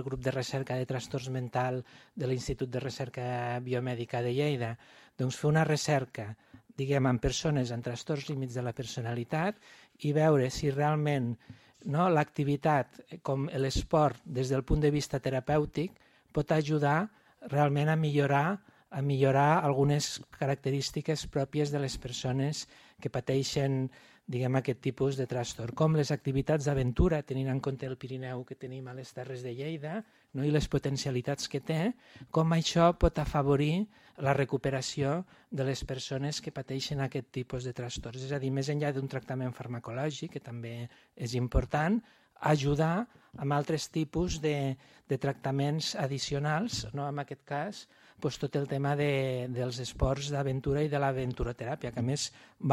del grup de recerca de trastorns mental de l'Institut de Recerca Biomèdica de Lleida, doncs fer una recerca, diguem, amb persones amb trastorns límits de la personalitat i veure si realment l'activitat com l'esport des del punt de vista terapèutic pot ajudar realment a millorar algunes característiques pròpies de les persones que pateixen, diguem, aquest tipus de trastorn, com les activitats d'aventura, tenint en compte el Pirineu que tenim a les Terres de Lleida i les potencialitats que té, com això pot afavorir la recuperació de les persones que pateixen aquest tipus de trastorns. És a dir, més enllà d'un tractament farmacològic, que també és important, ajudar amb altres tipus de tractaments addicionals, en aquest cas tot el tema dels esports d'aventura i de l'aventuroteràpia, que a més va